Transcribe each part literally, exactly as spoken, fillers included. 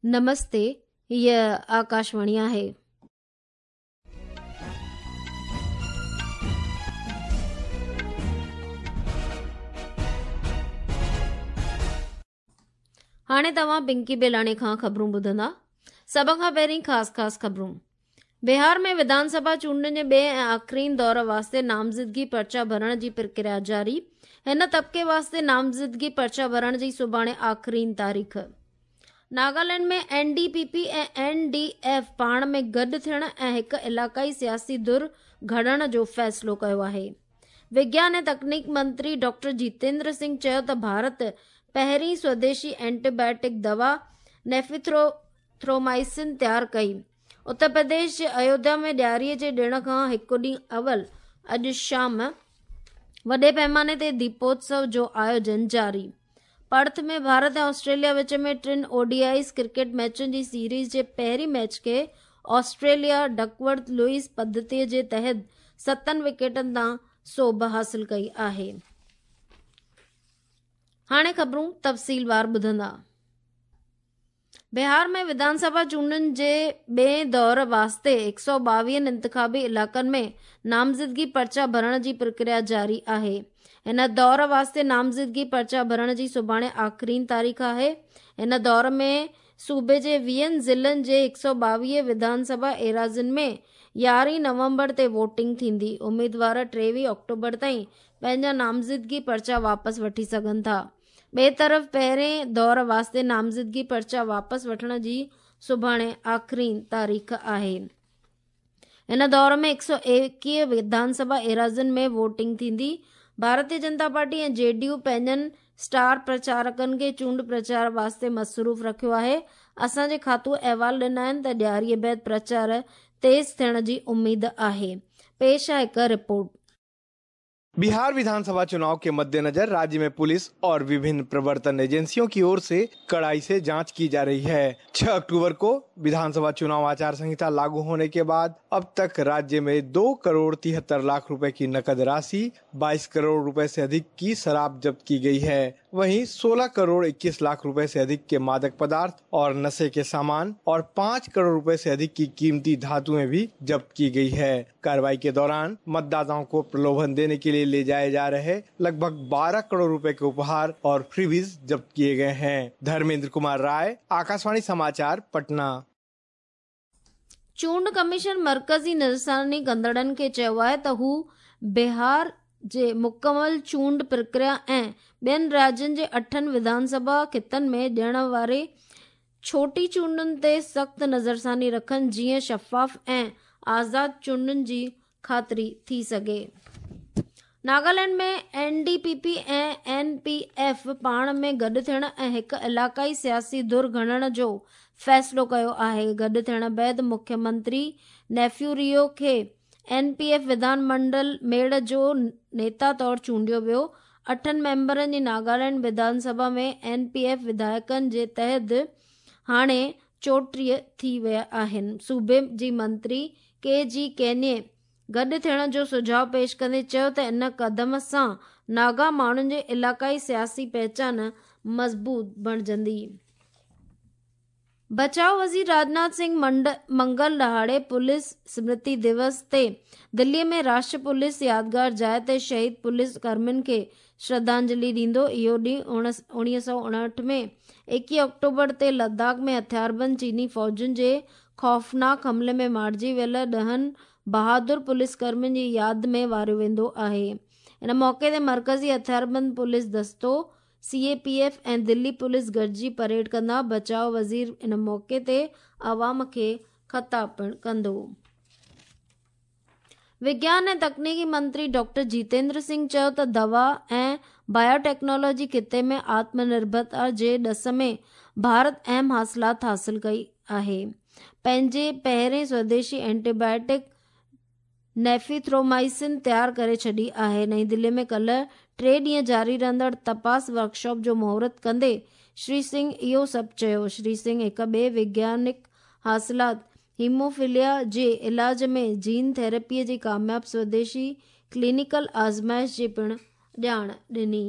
नमस्ते, हीअ आकाशवाणी आहे। हाणे तव्हां पिंकी बेलाणे खां ख़बरूं ॿुधंदा। सभ खां पहिरीं ख़ासि ख़ासि ख़बरूं। बिहार में विधानसभा चूंडनि जे ॿिए ऐं आख़िरीन दौर वास्ते नामज़दगी पर्चा भरण जी प्रक्रिया जारी। हिन तबके वास्ते नामज़दगी पर्चा भरण जी सुभाणे आख़िरीन तारीख़। नागालैंड में एन डी पी पी ऐं एन डी एफ पाण में गॾु थियण ऐं हिकु इलाइक़ाई सियासी धुर घड़ण जो फ़ैसिलो कयो आहे। विज्ञान ऐं तकनीक मंत्री डॉक्टर जितेंद्र सिंह चयो त भारत पहिरीं स्वदेशी एंटीबायोटिक दवा नेफिथ्रोमाइसिन तयार कई। उत्तर प्रदेश जे अयोध्या में ॾियारीअ जे ॾिण खां हिकु ॾींहुं अवल अॼु शाम वॾे पैमाने ते दीपोत्सव जो आयोजन जारी। पर्थ में भारत ऐं ऑस्ट्रेलिया विच में टिनि ओडीआईस क्रिकेट मैचुनि जी सीरीज़ जे पहिरीं मैच खे ऑस्ट्रेलिया डकवर्थ लुईस पद्धति जे तहत सतनि विकेटनि तां सोभ हासिल कई आहे। हाणे ख़बरूं तफ़सीलवार ॿुधंदा। बिहार में विधानसभा चूंडनि जे ॿिए दौर वास्ते हिकु सौ ॿावीहनि इंतिखाबी इलाइक़नि में नामज़दगी पर्चा भरण जी प्रक्रिया जारी आहे। हिन दौर वास्ते नामज़दगी पर्चा भरण जी सुभाणे आख़िरीन तारीख़ आहे। हिन दौर में सूबे जे वीहनि ज़िलनि जे हिकु सौ ॿावीह विधानसभा एराज़ियुनि में यारहीं नवंबर ते वोटिंग थींदी। उमेदवार टेवीह अक्टूबर ताईं पंहिंजा नामज़दगी पर्चा वापसि वठी सघनि था। ॿिए तरफ़ पहिरें दौर वास्ते नामज़दगी पर्चा वापसि वठण जी सुभाणे आख़िरीन तारीख़ आहे। हिन दौर में हिकु सौ एकवीह विधानसभा एराज़ियुनि में वोटिंग थींदी। भारतीय जनता पार्टी ऐं जे डी यू पंहिंजनि स्टार प्रचारकनि खे चूंड प्रचार वास्ते मसरूफ़ रखियो आहे। असांजे खातू अहवाल ॾिना आहिनि त ॾियारीअ बाद प्रचार तेज़ थियण जी उम्मीद आहे। पेश आहे हिकु रिपोर्ट। बिहार विधानसभा चुनाव के मद्देनजर राज्य में पुलिस और विभिन्न प्रवर्तन एजेंसियों की ओर से कड़ाई से जांच की जा रही है। छह अक्टूबर को विधानसभा चुनाव आचार संहिता लागू होने के बाद अब तक राज्य में दो करोड़ तिहत्तर लाख रुपए की नकद राशि, बाईस करोड़ रुपए से अधिक की शराब जब्त की गई है। वहीं सोलह करोड़ इक्कीस लाख रुपए से अधिक के मादक पदार्थ और नशे के सामान और पाँच करोड़ रुपए से अधिक की कीमती धातुएं भी जब्त की गई है। कार्रवाई के दौरान मतदाताओं को प्रलोभन देने के लिए ले जाए जा रहे लगभग बारह करोड़ रुपए के उपहार और फ्रीबीज जब्त किए गए हैं। धर्मेंद्र कुमार राय, आकाशवाणी समाचार, पटना। चूंड कमीशन मरकज़ी नज़रसानी कंदड़नि खे चयो आहे त हू बिहार जे मुकमल चूंड प्रक्रिया ऐं ॿियनि राज्यनि जे अठनि विधानसभा ख़ितनि में ॾियण वारे छोटी चूंडुनि ते सख़्तु नज़रसानी रखनि, जीअं शफ़ाफ़ ऐं आज़ाद चूंडुनि जी ख़ातिरी थी सघे। नागालैंड में एन डी पी पी ऐं एन पी एफ पाण में गॾु थियण ऐं हिकु इलाइक़ाई सियासी धुर घड़ण जो फ़ैसिलो कयो आहे। गॾु थियण बाद मुख्यमंत्री नेफ्यू रियो खे एन पी एफ विधानमंडल मेड़ जो नेता तौर चूंडियो वियो। अठनि मेंबरनि जी नागालैंड विधानसभा में एन पी एफ विधायकनि जे तहत हाणे चोटीह थी विया आहिनि। सूबे जी मंत्री के जी केने गॾु थियण जो सुझाव पेश कंदे चयो त इन कदम सां नागा माण्हुनि जे इलाइक़ाई सियासी पहिचान मज़बूत बणिजंदी। बचाव वज़ीर राजनाथ सिंह मंड मंगल ॾिहाड़े पुलिस स्मृति दिवस ते दिल्लीअ में राष्ट्रीय पुलिस यादगार जाइ ते शहीद पुलिस कर्मियुनि खे श्रद्धांजलि ॾींदो। इहो ॾींहुं उणिवीह सौ उणहठि में एकवीह अक्टूबर ते लद्दाख में हथियारबंद चीनी फ़ौजुनि जे ख़ौफ़नाक हमले में मारिजी वियल ॾहनि बहादुर पुलिस कर्मियुनि जी यादि में वारियो वेंदो आहे। इन मौक़े ते मरकज़ी हथियारबंद पुलिस दस्तो सी ए पी एफ ऐं दिल्ली पुलिस गॾिजी परेड कंदा। बचाव वज़ीर इन मौक़े ते अवाम खे ख़िताब पिणु कंदो। विज्ञान ऐं तकनीकी मंत्री डॉक्टर जितेंद्र सिंह चयो त दवा ऐं बायोटेक्नोलॉजी ख़िते में आत्मनिर्भरता जे ॾस में भारत अहम हासिलात हासिल कई आहे। पंहिंजे पहिरें स्वदेशी एंटीबायोटिक नेफिथ्रोमाइसिन तयार करे छॾी आहे। नई दिल्ली में कल्ह टे ॾींहं जारी रहंदड़ तपास वर्कशॉप जो मुहूर्त कंदे श्री सिंह इहो सभु चयो। श्री सिंह हिकु ॿिए वैज्ञानिक हासिलात हीमोफिलिया जे इलाज में जीन थेरेपीअ जी कामयाब स्वदेशी क्लिनिकल आज़माइश जी पिणु ॼाण ॾिनी।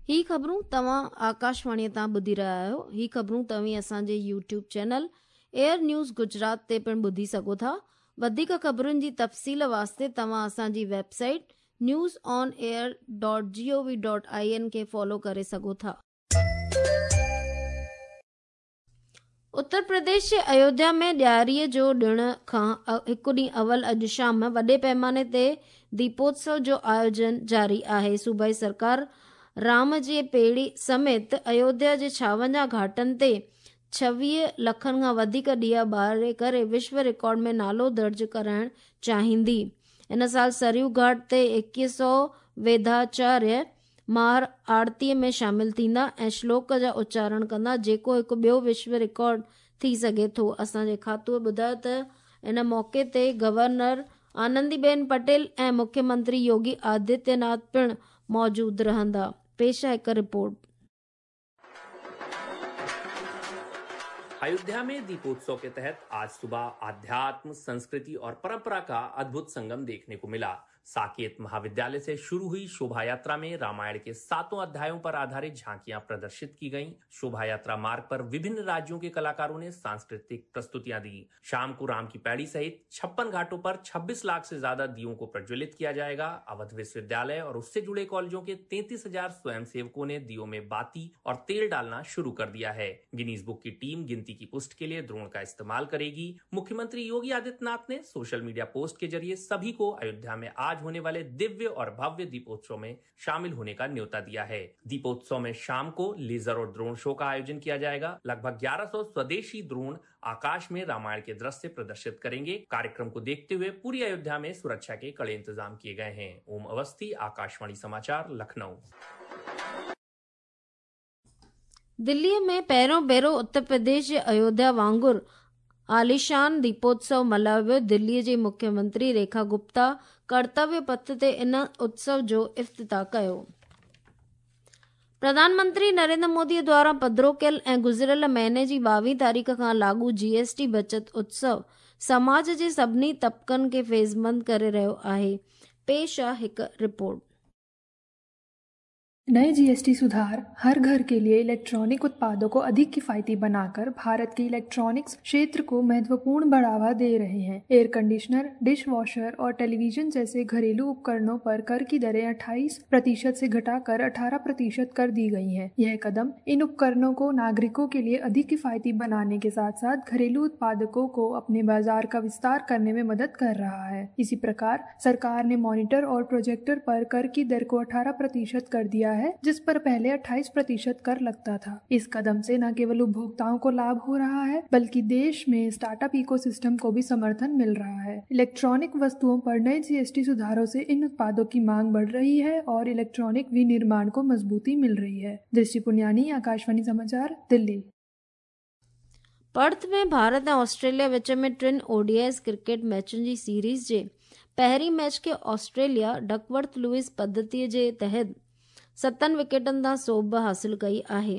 ही ख़बरूं तव्हां आकाशवाणीअ तां ॿुधी रहिया आहियो। ही ख़बरूं तव्हीं असांजे YouTube channel Air News Gujarat ते पिणु ॿुधी सघो था। वधीक ख़बरुनि जी तफ़सील वास्ते तव्हां असांजी website news on air dot G O V dot I N खे फॉलो करे सघो था। उत्तर प्रदेश जे अयोध्या में ॾियारीअ जो ॾिण खां हिकु ॾींहुं अवल अॼु शाम वॾे पैमाने ते दीपोत्सव जो आयोजन जारी आहे। सूबाई सरकार राम जे पेड़ी समेत अयोध्या जे छावंजाह घाटनि ते छवीह लखनि खां वधीक ॾिया ॿारे करे विश्व रिकॉर्ड में नालो दर्ज कराइण चाहींदी। इन साल सरयू घाट ते एकवीह सौ वेदाचार्य माहिर आरतीअ में शामिल थींदा ऐं श्लोक जा उचारण कंदा, जेको हिकु ॿियो विश्व रिकॉर्ड थी सघे थो। असांजे खातूअ ॿुधायो त इन मौक़े ते गवर्नर आनंदीबेन पटेल ऐं मुख्यमंत्री योगी आदित्यनाथ पिणु मौजूदु रहंदा। पेश आहे हिकु रिपोर्ट। अयोध्या में दीपोत्सव के तहत आज सुबह आध्यात्म, संस्कृति और परंपरा का अद्भुत संगम देखने को मिला। साकेत महाविद्यालय से शुरू हुई शोभा यात्रा में रामायण के सातों अध्यायों पर आधारित झांकियां प्रदर्शित की गईं। शोभा यात्रा मार्ग पर विभिन्न राज्यों के कलाकारों ने सांस्कृतिक प्रस्तुतियां दी। शाम को राम की पैड़ी सहित छप्पन घाटों पर छब्बीस लाख से ज्यादा दियों को प्रज्वलित किया जाएगा। अवध विश्वविद्यालय और उससे जुड़े कॉलेजों के तैंतीस हजार स्वयंसेवकों ने दियों में बाती और तेल डालना शुरू कर दिया है। गिनीज बुक की टीम गिनती की पुष्टि के लिए ड्रोन का इस्तेमाल करेगी। मुख्यमंत्री योगी आदित्यनाथ ने सोशल मीडिया पोस्ट के जरिए सभी को अयोध्या में आज होने वाले दिव्य और भव्य दीपोत्सव में शामिल होने का न्योता दिया है। दीपोत्सव में शाम को लेजर और ड्रोन शो का आयोजन किया जाएगा। लगभग ग्यारह सौ स्वदेशी ड्रोन आकाश में रामायण के दृश्य प्रदर्शित करेंगे। कार्यक्रम को देखते हुए पूरी अयोध्या में सुरक्षा के कड़े इंतजाम किए गए हैं। ओम अवस्थी, आकाशवाणी समाचार, लखनऊ। दिल्लीअ में पहिरियों भेरो उत्तर प्रदेश जे अयोध्या वांगुरु आलीशान दीपोत्सव मल्हायो वियो। दिल्लीअ जी मुख्यमंत्री रेखा गुप्ता कर्तव्य पथ ते इन उत्सव जो इफ्तिताह कयो। प्रधानमंत्री नरेंद्र मोदी द्वारा पधरो कयल ऐं गुज़िरियल महीने जी ॿावीह तारीख़ खां लागू जीएसटी बचत उत्सव समाज जे सभिनी तबकनि खे फ़ैज़मंद करे रहियो आहे। पेश आहे हिकु रिपोर्ट। नए जीएसटी सुधार हर घर के लिए इलेक्ट्रॉनिक उत्पादों को अधिक किफ़ायती बनाकर भारत के इलेक्ट्रॉनिक्स क्षेत्र को महत्वपूर्ण बढ़ावा दे रहे हैं। एयर कंडीशनर, डिश वॉशर और टेलीविजन जैसे घरेलू उपकरणों पर कर की दरें अट्ठाईस प्रतिशत से घटाकर अठारह प्रतिशत कर दी गई हैं। यह कदम इन उपकरणों को नागरिकों के लिए अधिक किफ़ायती बनाने के साथ साथ घरेलू उत्पादकों को अपने बाजार का विस्तार करने में मदद कर रहा है। इसी प्रकार सरकार ने मॉनिटर और प्रोजेक्टर पर कर की दर को अठारह प्रतिशत कर दिया है, जिस पर पहले अट्ठाईस प्रतिशत कर लगता था। इस कदम से न केवल उपभोक्ताओं को लाभ हो रहा है, बल्कि देश में स्टार्टअप इकोसिस्टम को भी समर्थन मिल रहा है। इलेक्ट्रॉनिक वस्तुओं पर नए जीएसटी सुधारों से इन उत्पादों की मांग बढ़ रही है और इलेक्ट्रॉनिक विनिर्माण को मजबूती मिल रही है। दृष्टि पुनियानी, आकाशवाणी समाचार, दिल्ली। पर्थ में भारत ऐं ऑस्ट्रेलिया विच में टिनि ओडीआईज़ क्रिकेट मैचुनि जी सीरीज़ जे पहिरीं मैच खे ऑस्ट्रेलिया डकवर्थ लुईस पद्धतीअ जे तहत सतनि विकेटनि तां सोभ हासिल कई आहे।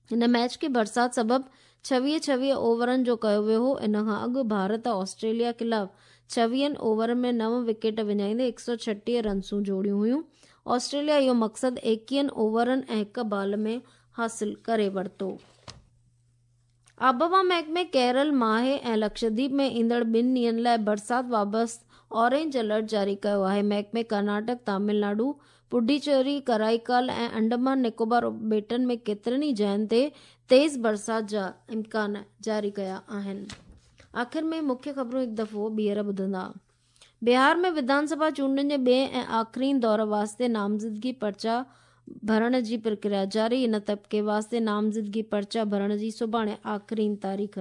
हिन मैच खे बरसाति सबबु छवीह छवीह ओवरनि जो कयो वियो हो। इन खां अॻु भारत ऑस्ट्रेलिया ख़िलाफ़ छवीहनि ओवरनि में नव विकेट विञाईंदे हिकु सौ छटीह रनसूं जोड़ियूं हुयूं। ऑस्ट्रेलिया इहो मक़सदु एकवीहनि ओवरनि ऐं हिकु बाल में हासिल करे वरितो। आबहवा महकमे केरल, माहे ऐं लक्षद्वीप में ईंदड़ ॿिनि ॾींहंनि लाइ बरसाति वाबस्ता ऑरेंज अलर्ट जारी कयो आहे। महकमे कर्नाटक, तमिलनाडु, पुडुचेरी, कराईकाल ऐं अंडमान निकोबार ॿेटनि में केतिरनि ई जायुनि ते तेज़ बरसाति जा इम्कान जारी कया आहिनि। आख़िर में मुख्य ख़बरूं हिकु दफ़ो ॿीहर ॿुधंदा। बिहार में विधानसभा चूंडुनि जे ॿिए ऐं आख़िरी दौर वास्ते नामज़दगी पर्चा भरण जी प्रक्रिया जारी। इन तबके वास्ते नामज़दगी पर्चा भरण जी सुभाणे आख़िरी तारीख़।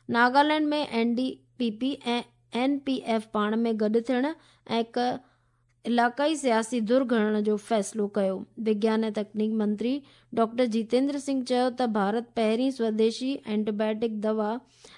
नागालैंड में एन डी पी पी ऐं एन पी एफ पाण में गॾु थियण ऐं हिकु इलाक़ाई सियासी धुर घणण जो फ़ैसिलो कयो। विज्ञान ऐं तकनीक मंत्री डॉक्टर जितेंद्र सिंह चयो त भारत पहिरीं स्वदेशी एंटीबायोटिक दवा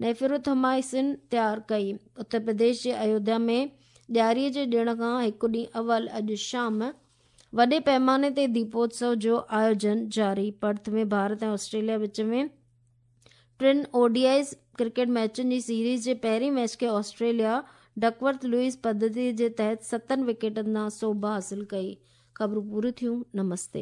नेफिरोथोमाइसिन तयार कई। उत्तर प्रदेश जे अयोध्या में ॾियारीअ जे ॾिण खां हिकु ॾींहुं अवल अॼु शाम वॾे पैमाने ते दीपोत्सव जो आयोजन जारी। पर्थ में भारत ऐं ऑस्ट्रेलिया विच में टिनि ओडीआईज़ क्रिकेट मैचुनि जी सीरीज़ जे पहिरीं मैच खे ऑस्ट्रेलिया डकवर्थ लुईस पद्धति जे तहत सतनि विकेटनि तां सोभ हासिल कई। ख़बरूं पूरियूं थियूं। नमस्ते।